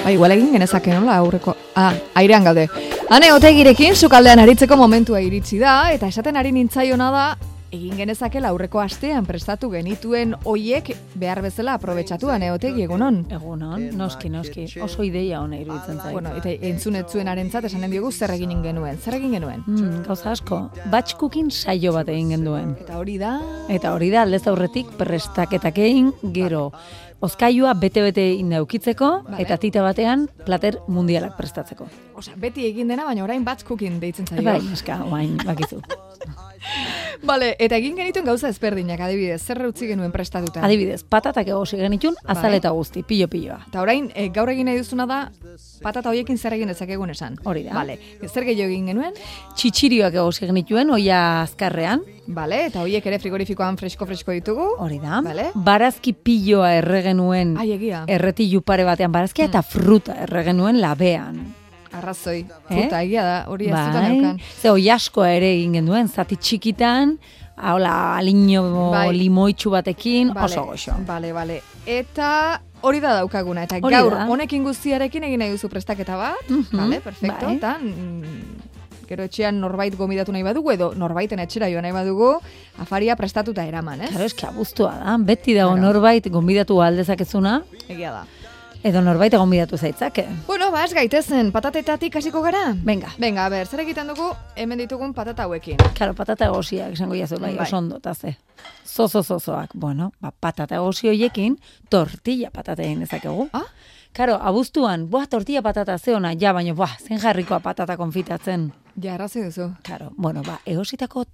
Igual egin genezake nola aurreko... airean gaude. Ane, Otegirekin sukaldean aritzeko momentua iritsi da, eta esaten ari nintzaiona da, egin genezakela aurreko astean prestatu genituen hoiek behar bezala aprobetxatu, Ane, Otegi, egunon? Egunon, noski, oso ideia hona iruditzen zait. Bueno, eta entzunetzuen arentzat esanen diogu zer egin genuen. Gauza asko, batch cooking saio bat egin genuen. Eta hori da, aldez aurretik prestaketak egin, gero ozkailua bete-bete indaukitzeko, eta tita batean plater mundialak prestatzeko. Osea, beti egin dena, baina orain batch cooking deitzen zaio. Bai, eska, orain, bakizu. Vale, eta egin genituen gauza ezberdinak, adibidez, zer utzi genuen prestatuta? Adibidez, patatak egosi genitun, azaleta guzti, pilo-piloa. Eta orain, gaur egin nahi duzuna da, patata hoiekin zer egin dezakegun esan. Hori da. Vale, zer gehiago egin genuen? Txitxirioak egosi genituen, oia azkarrean. Vale, eta hoiek ere frigorifikoan fresko ditugu. Hori da. Vale. Barazki piloa erregenuen, erretilu pare batean barazkia, eta fruta erregenuen labean. Arrazoi, fruta, egia da, hori ez zutan eukan. Ze hoi askoa ere egin genuen, zati txikitan, aliño limoitxu batekin, oso goxo. Bale. Eta hori da daukaguna, eta gaur honekin guztiarekin egin nahi duzu prestaketa bat, vale, perfecto, eta gero etxean norbait gomidatu nahi badugu, edo norbaiten etxera joan nahi badugu, afaria prestatuta eraman, ez? Claro, eski abuztua da, beti dago norbait gomidatu aldezakezuna. Egia da. Edo norbait gonbidatu zaitzake. Bueno, ez gaitezen, patatetatik hasiko gara? Venga, a ber, zer egiten dugu hemen ditugun patata hauekin? Claro, patata egosiak, esango jazu, bai, oso ondo, taze. Zozozozoak, bueno, patata egosi hoiekin, tortilla patata egin dezakegu. Claro, abuztuan, tortilla patata zeona, baina, zen jarrikoa patata konfitatzen. Ja, arrazi duzu. Claro, bueno, egositako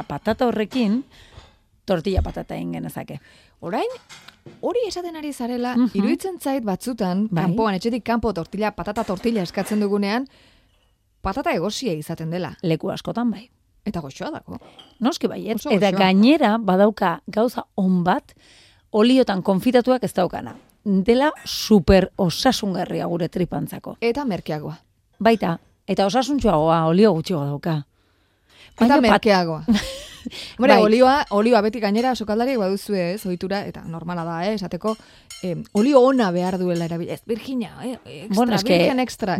patata horrekin, tortilla patata egin genezake. Orain, hori esaten ari zarela, iruditzen zait batzutan, kanpoan, etxetik kanpo patata tortilla eskatzen dugunean, patata egosia izaten dela. Leku askotan bai. Eta goxoa dako. Noski baiet. Eta gainera, badauka gauza on bat, oliotan konfitatuak ez daukana. Dela super osasungarria gure tripantzako. Eta merkeagoa. Baita, eta osasuntxoagoa, olio gutxiago dauka. Eta merkeagoa. Olioa beti gainera sokaldariak baduzue, ohitura, eta normala da, esateko, olio ona behar duela erabili. Ez, virgina, virgen extra.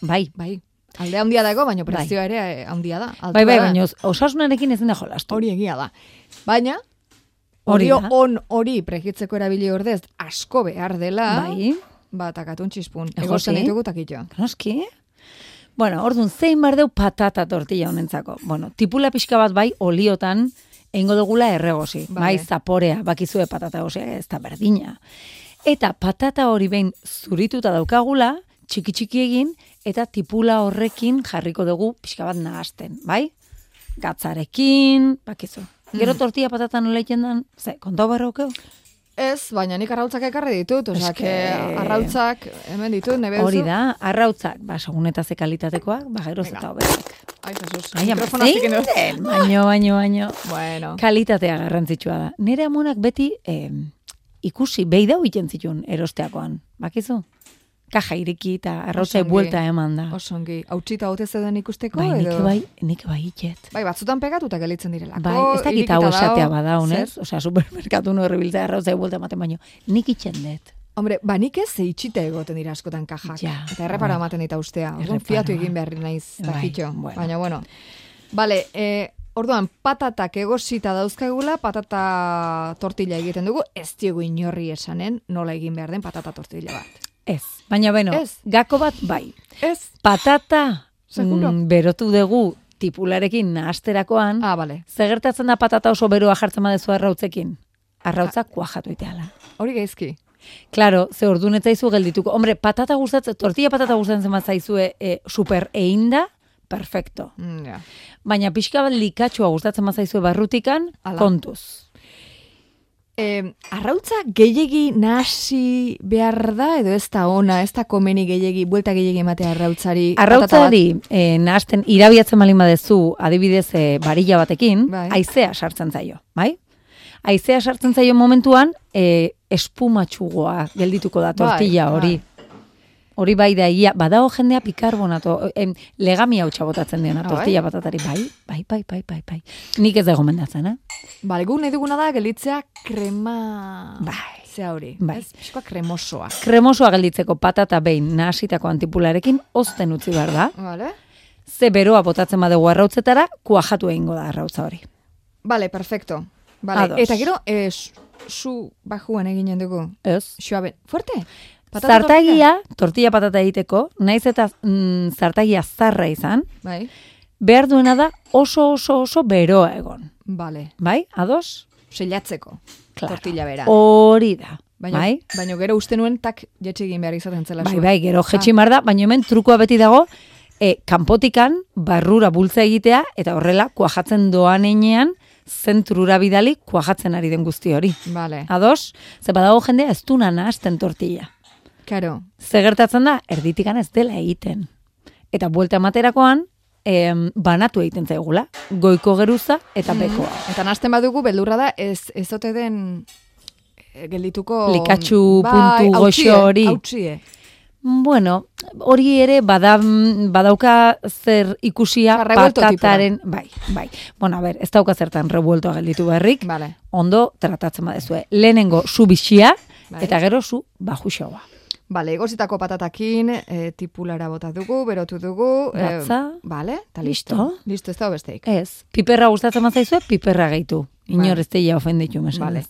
Bai. Alde handia dago, baina prezioa ere handia da. Bai, baina osasunarekin ez dena jolastu. Hori egia da. Baina, olio on hori pregitzeko erabili ordez asko behar dela, takatun txispun. Egosten ditugu takitxo. Noski? Bueno, orduan, zein bardeu patata tortilla honentzako. Bueno, tipula pixka bat bai, oliotan, eingo dugula erregosi. Bai, zaporea, bakizue patata gosia, ez da berdina. Eta patata hori behin zurituta daukagula, txiki egin, eta tipula horrekin jarriko dugu pixka bat nahasten, bai? Gatzarekin, bakizu. Gero tortilla patata nola egiten den, kontau barraukeu? Ez, baina nik arrautzak ekarri ditut, arrautzak hemen ditut, nebe duzu? Hori da, arrautzak, segun eta ze kalitatekoak, geroz eta hobeak. Ai, Jesus, mikrofona ziken dut. Baino. Bueno. Kalitatea garrantzitsua da. Nere amonak beti ikusi, behi dau iten zituen erosteakoan, bakizu? Kaja iriki eta arrautzai buelta eman da. Osongi, hautsita hote zeuden ikusteko? Nik bai iket. Bai, batzutan pegatuta gelitzen direlako. Bai, ez dakit hau esatea badaun, ez? Osea, supermerkatu no errebiltzea arrautzai buelta ematen baino. Nik itxen dut. Hombre, nik ez itxita egoten dira askotan kajak. Eta errepara ematen dita ustea. Orduan fiatu egin beharri naiz, takitxo. Baina, bueno. Bale, orduan, patatak egosita dauzkagula, patata tortilla egiten dugu, ez diogu inorri esanen nola egin behar den patata tortilla bat. Ez, baina gako bat bai. Ez. Patata berotu dugu tipularekin nahasterakoan, zegertatzen da patata oso beroa jartzen badezu arrautzekin. Arrautzak kuajatu iteala. Hori gaizki. Claro, ze orduan etzaizu geldituko. Hombre, tortilla patata gustatzen bat zaizue super einda, perfecto. Baina pixka bat likatxua gustatzen bat zaizue barrutikan, kontuz. Arrautza gehiegi nahasi behar da, edo ez da ona, ez da komeni gehiegi, buelta gehiegi ematea arrautzari? Arrautzari nahasten irabiatzen malin badezu, adibidez barilla batekin, haizea sartzen zaio, bai? Haizea sartzen zaio momentuan, espumatxugoa geldituko da tortilla hori. Hori bai da, ia, badago jendea bikarbonato, legamia hautsa botatzen diona, tortilla patatari, bai. Nik ez da gomendatzen, Bale, gu nahi duguna da, gelditzea krema... Zea hori, ez? Piskoa kremosoa. Kremosoa gelditzeko patata behin nahasitako antipularekin ozten utzi behar da. Vale. Ze beroa botatzen badugu arrautzetara, kuajatu egingo da arrautza hori. Vale, perfecto. Vale. Eta gero, zu bajuan eginen dugu. Ez. Suabe. Fuerte? Zartagia, tortilla patata egiteko, naiz eta zartagia zarra izan, bai. Behar duena da oso beroa egon. Vale. Bai, ados? Seilatzeko. Claro. Tortilla bera. Hori da. Bai? Baina gero uste nuen tak jetxe egin behar izaten zela. Bai, gero jetxi mar da, baina hemen trukoa beti dago, kanpotikan barrura bultza egitea, eta horrela kuajatzen doan einean, zentrura bidali kuajatzen ari den guzti hori. Vale. Ados? Ze badago jendea ez du nahasten tortilla. Karo. Ze gertatzen da, erditikan ez dela egiten. Eta buelta ematerakoan, banatu egiten zaigula. Goiko geruza eta bekoa. Eta nahasten badugu, beldurra da, ez ote den geldituko... Likatxu puntu goxo hori. Hautsie. Bueno, hori ere badauka zer ikusia patataren... Bai. Bueno, a ver, ez dauka zertan revueltoa gelditu beharrik. Vale. Ondo tratatzen badezue. Lehenengo zu bixia, eta gero zu bajuxoa. Vale, egozitako patatakin, tipulara bota dugu, berotu dugu. Gatza. Vale, eta listo. Listo, ez da besteik. Ez, piperra gustatzen mazaizue, piperra gehitu. Inor ez teia ofenditu mesan. Vale.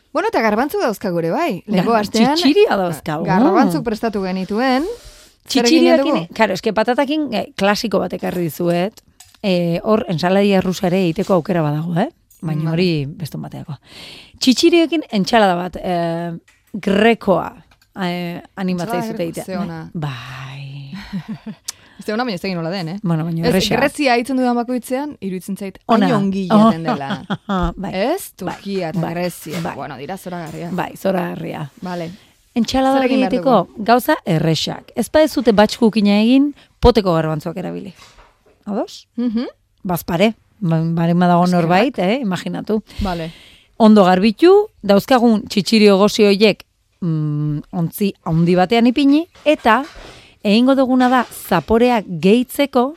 Bueno, eta garbantzuk dauzka gure, bai. Lego astean, txitxiria dauzka. Garbantzuk prestatu genituen. Txitxiriakin, claro, eske patatakin klasiko bat ekarri dizuet. Hor, ensaladia rusa ere egiteko aukera badago, Baina hori beston bateako. Txitxiriekin entsalada bat, grekoa. Animatzea izute egitea. Bai. Ez da hona, baina ez egin nola den, Bueno, baina erresa. Grezia hitzen dudan bakoitzean, iruditzen zait, hain ongi jaten dela. Bai. Ez? Turkia eta Grezia. Bueno, dira zoragarria. Bai, zoragarria. Vale. Entsalada egiteko gauza erresak. Ez ba ez zute batxkukina egin, poteko garbantzuak erabili. Ados? Bazpare. Baren badago norbait, imaginatu. Vale. Ondo garbitu, dauzkagun txitxirio gozi hoiek ontzi handi batean ipini, eta egingo duguna da zaporea gehitzeko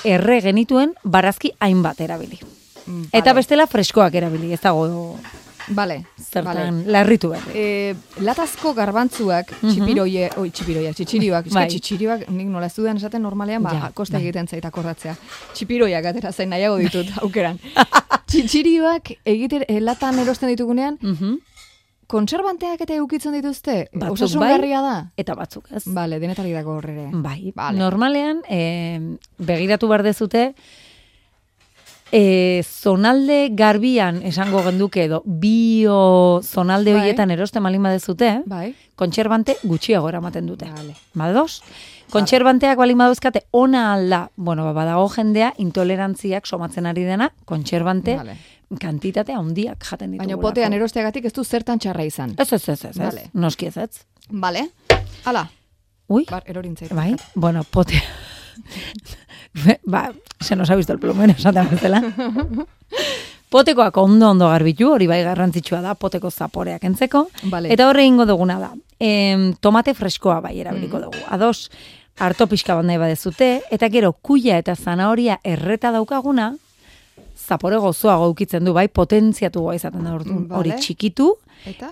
erre genituen barazki hainbat erabili. Eta bestela freskoak erabili, ez dago zertan larritu berri. Latazko garbantzuak, txipirioak, nik nola ez dudan esaten normalean, kosta egiten zait akordatzea. Txipiroiak atera zain nahiago ditut aukeran. Txipirioak latan erosten ditugunean, kontserbanteak eta eukitzen dituzte? Osasungarria da? Eta batzuk, ez? Bale, denetari dago horrere. Bai, normalean, begiratu behar dezute, zonalde garbian esango genduke edo, bio zonalde horietan erosten malin badezute, kontserbante gutxiago eramaten dute. Badoz? Kontserbanteak balin baduzkate, ona alda, badago jendea, intolerantziak somatzen ari dena, kontserbante, kantitate handiak jaten ditu. Baina potean erosteagatik ez du zertan txarra izan. Ez. Noski ez. Vale. Hala. Ui. Erorintzait. Bai, potea. Se nos ha visto el plumero, esaten bezala. Potekoak ondo garbitu, hori bai garrantzitsua da, poteko zaporeak entzeko. Eta horre ingo duguna da. Tomate freskoa bai erabiliko dugu. Ados, harto pixka bat nahi badezute, eta gero kuia eta zanahoria erreta daukaguna, zapore gozoa gaukitzen du, bai, potentziatu goa izaten da hori txikitu,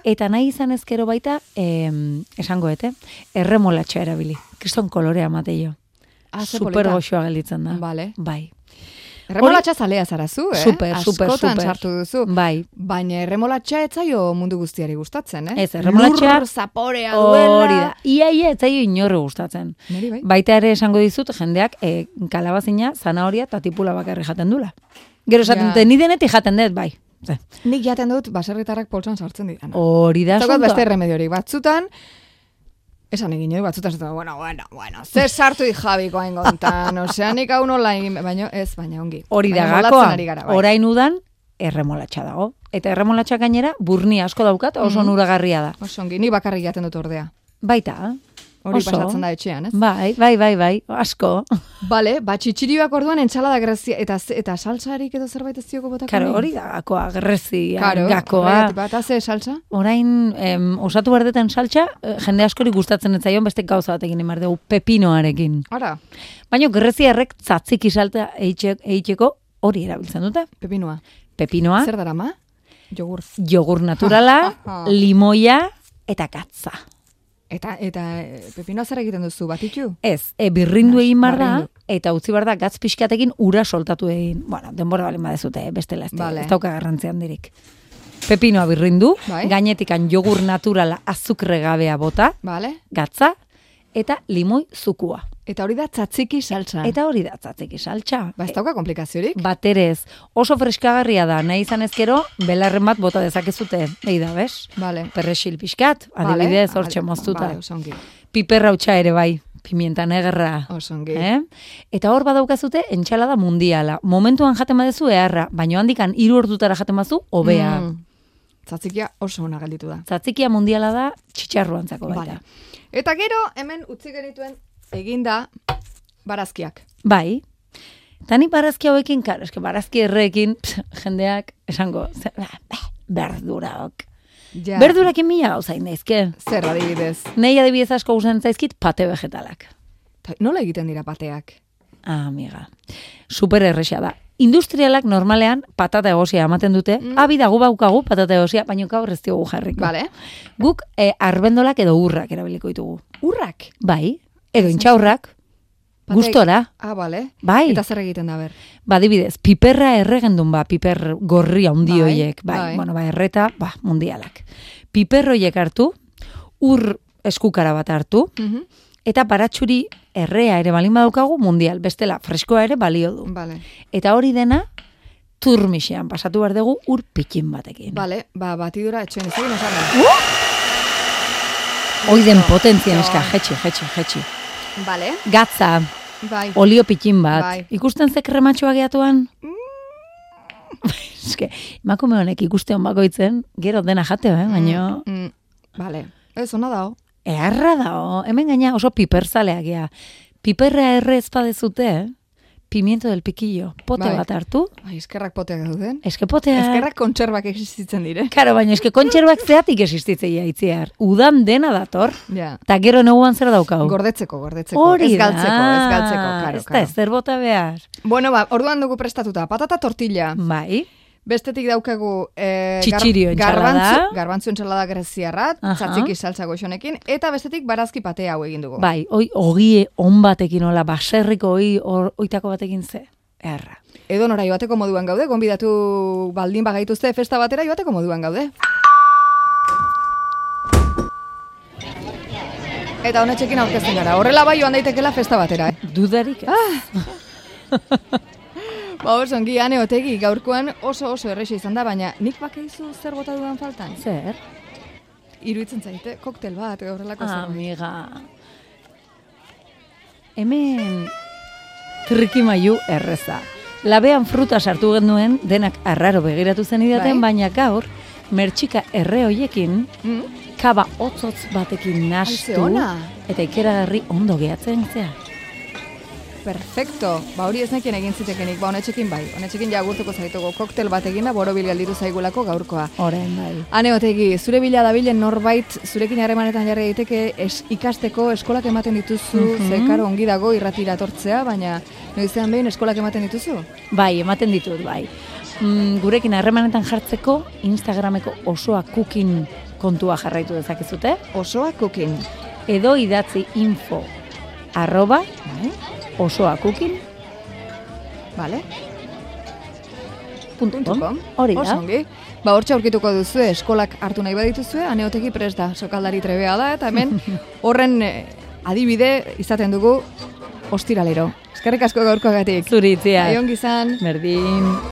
eta nahi izan ezkero baita, esangoete, erremolatxa erabili. Kriston kolorea mateio. Super goxoa gelditzen da. Bai. Erremolatxa zalea zarazu, Super. Askotan sartu duzu. Bai. Baina erremolatxa etzaio mundu guztiari gustatzen, Ez, erremolatxa... Lur zaporea duela. Hori da. Ia etzaio inorre gustatzen. Baita ere esango dizut, jendeak kalabazina, zanahoria eta tipula bakarri jaten dula. Gero esaten dute, ni denetik jaten dut, bai. Nik jaten dut, baserritarrak poltsan sartzen ditan. Hori da, zontoa. Beste remediorik batzutan, esan egin joi, batzutan, bueno, zer sartu dijabiko hain gontan, nik hau nola egin, baina ongi. Hori da gakoa, orain udan, erremolatxa dago. Eta erremolatxa gainera, burni asko daukat, oso nuragarria da. Oso ongi, nik bakarrik jaten dut ordea. Baita, Hori pasatzen da etxean, ez? Bai, asko. Bale, txitxirioak orduan entsalada grezia, eta salsarik edo zerbait ez dioko botako? Karo, hori da, gakoa, grezia, gakoa. Eta ze salsa? Orain, osatu berdeten salsa, jende askori gustatzen ez zaion beste gauza bat egin emar dugu, pepinoarekin. Ara. Baina grezia errek tzatziki salta eitxeko hori erabiltzen dute. Pepinoa. Zer darama? Jogur naturala, limoia eta gatza. Eta pepinoa zer egiten duzu, batitu? Ez, birrindu egin bar da, eta utzi bar da gatz pixkatekin ura soltatu egin. Bueno, denbora balen badezute, bestela ez dauka garrantzian dirik. Pepinoa birrindu, gainetikan jogur naturala azukre gabea bota, gatza, eta limoi zukua. Eta hori da tzatziki saltza. Ba, ez dauka komplikaziorik? Baterez, oso freskagarria da, nahi izan ezkero, belarren bat bota dezakezute. Egi da, bez? Perrexil pixkat, adibidez, hortxe moztuta. Piperra utxa ere bai, pimienta negerra. Osongi. Eta hor badaukazute, entxalada mundiala. Momentuan jaten badezu eharra, baino handikan 3 ordutara jaten bazu, hobea. Tzatzikia oso ona gelditu da. Tzatzikia mundiala da, txitxarruantzako baita. Eta gero, hemen utzi genituen eginda barazkiak. Bai. Tani barazki hauekin, karo, eske barazki erreekin, jendeak, esango, berduraok. Berdurakin mila gauzain daizke. Zer adibidez? Nei adibidez asko gustatzen zaizkit pate vegetalak. Nola egiten dira pateak? Amiga. Super erresa da. Industrialak normalean patata egosia ematen dute. Abi dago baukagu patata egosia, baina gaur ez diogu jarriko. Guk arbendolak edo urrak erabiliko ditugu. Urrak? Bai. Edo intxaurrak, gustora. Bai. Eta zer egiten da, ber? Adibidez, piperra erregendun piper gorria hundioiek. Bai. Bueno, erreta, mundialak. Piperroiek hartu, ur eskukara bat hartu, eta baratxuri errea ere balin badaukagu mundial, bestela freskoa ere balio du. Eta hori dena, turmixean pasatu behar dugu ur pikin batekin. Batidura etxoen ez egin esan. Oiden potentzien eska, jetxi. Gatza, olio pikin bat. Ikusten ze krematxoa gehiatuan? Eske, emakume honek ikuste hon bakoitzen, gero dena jateo, baino. Ez, ona dao. Eharra dao, hemen gaina oso piperzaleak gea. Piperra erre ezpadezute, pimiento del piquillo, pote bat hartu. Eskerrak poteak dauden. Eskerrak kontserbak existitzen dire. Karo, baina eske kontserbak zeatik existitzei aitziar. Udan dena dator. Ta gero neguan zer daukau. Gordetzeko. Hori da. Ez galtzeko. Ez da, ez zer bota behar. Bueno, orduan dugu prestatuta. Patata tortilla. Bai. Bestetik daukagu txitxirio entsalada. Garbantzu entsalada greziarrat, tzatziki saltza goxonekin, eta bestetik barazki pate hau egin dugu. Bai, ogie on batekin, ola, baserriko oitako batekin ze. Erra. Edo nora joateko moduan gaude, gonbidatu baldin bagaituzte festa batera joateko moduan gaude. Eta honetxekin aurkezten gara. Horrela bai joan daitekela festa batera. Dudarik ez. Osongi, Ane Otegi, gaurkoan oso erresa izan da, baina nik bakaizu zer bota dudan faltan? Zer? Iruditzen zaite, koktel bat, horrelako zer. Amiga. Hemen trikimailu erreza. Labean fruta sartu genduen, denak arraro begiratu zen idaten, baina gaur, mertxika erre hoiekin, kaba hotzotz batekin nastu, eta ikeragarri ondo gehatzen zea. Perfecto. Hori ez nekien egin zitekenik. Honetxekin bai. Honetxekin jagurtuko zaitugu. Koktel bat egin da, borobil galditu zaigulako gaurkoa. Horen bai. Ane Otegi, zure bila dabilen norbait, zurekin harremanetan jarri daiteke ikasteko eskolak ematen dituzu, zekaro ongi dago irratira tortzea, baina noizean behin eskolak ematen dituzu? Bai, ematen ditut, bai. Gurekin harremanetan jartzeko, Instagrameko osoa cooking kontua jarraitu dezakezute. Osoa cooking. Edo idatzi info @osoa cooking. .com. Hori da. Osongi. Hortxe aurkituko duzu eskolak hartu nahi badituzue, Ane Otegi prest da, sokaldari trebea da, eta hemen horren adibide izaten dugu ostiralero. Eskerrik asko gaurkoagatik. Zuritzea. Aion gizan. Berdin.